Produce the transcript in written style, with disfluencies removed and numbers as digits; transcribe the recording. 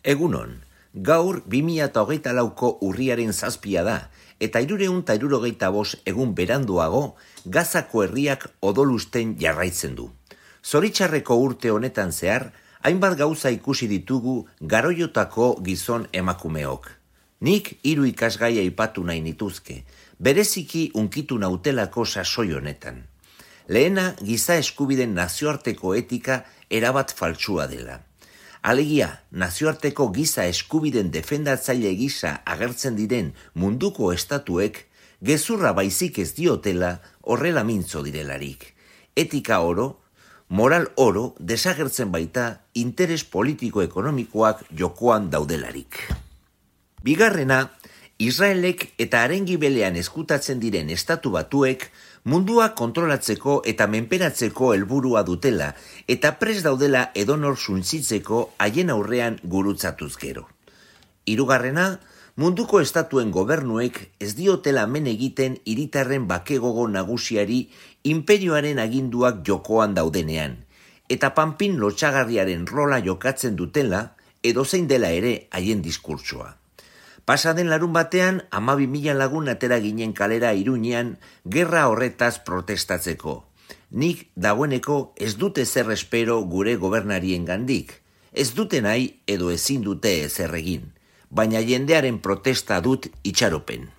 Egunon, gaur 2024ko urriaren 7 da, eta 365 egun beranduago, Gazako herriak odolusten jarraitzen du. Zoritxarreko urte honetan zehar, hainbat gauza ikusi ditugu Garoiotako gizon emakumeok. Nik 3 ikasgai aipatu nahi nituzke, bereziki unkitu nautelako sasoi honetan. Lehena, giza eskubideen nazioarteko etika erabat faltsua dela. Alegia, nazioarteko giza eskubideen defendatzaile gisa agertzen diren munduko estatuek, gezurra baizik ez diotela horrela mintzo direlarik. Etika oro, moral oro desagertzen baita interes politiko-ekonomikoak jokoan daudelarik. Bigarrena, Israelek eta haren gibelean eskutatzen diren estatu batuek mundua kontrolatzeko eta menperatzeko helburua dutela eta prest daudela edonor suntsitzeko haien aurrean gurutzatuz gero. Hirugarrena, munduko estatuen gobernuek ez diotela men egiten hiritarren bakegogo nagusiari inperioaren aginduak jokoan daudenean, eta panpin lotsagarriaren rola jokatzen dutela edozein dela ere haien diskurtsoa. Pasaden larun batean, 12.000 lagun atera ginen kalera Iruñean gerra horretaz protestatzeko. Nik dagoeneko ez dute zer espero gure gobernarien gandik. Ez dute nahi edo ezin dute ezer egin, baina jendearen protesta dut itxaropen.